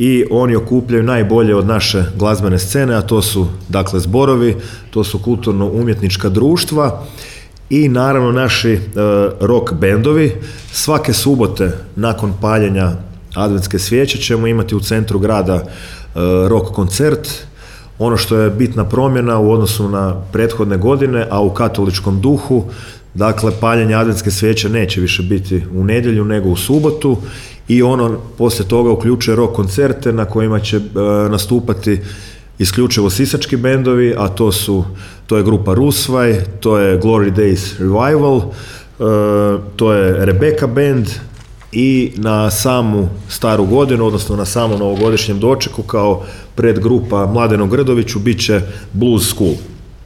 i oni okupljaju najbolje od naše glazbene scene, a to su dakle zborovi, to su kulturno-umjetnička društva i naravno naši rock bendovi. Svake subote nakon paljenja adventske svijeće ćemo imati u centru grada rock koncert. Ono što je bitna promjena u odnosu na prethodne godine, a u katoličkom duhu, dakle paljenje adventske svijeće neće više biti u nedjelju nego u subotu i ono poslije toga uključuje rock koncerte na kojima će nastupati isključivo sisački bendovi, a to je grupa Rusvaj, to je Glory Days Revival, to je Rebecca Band i na samu staru godinu, odnosno na samom novogodišnjem dočeku kao predgrupa Mladenu Grdoviću bit će Blues School.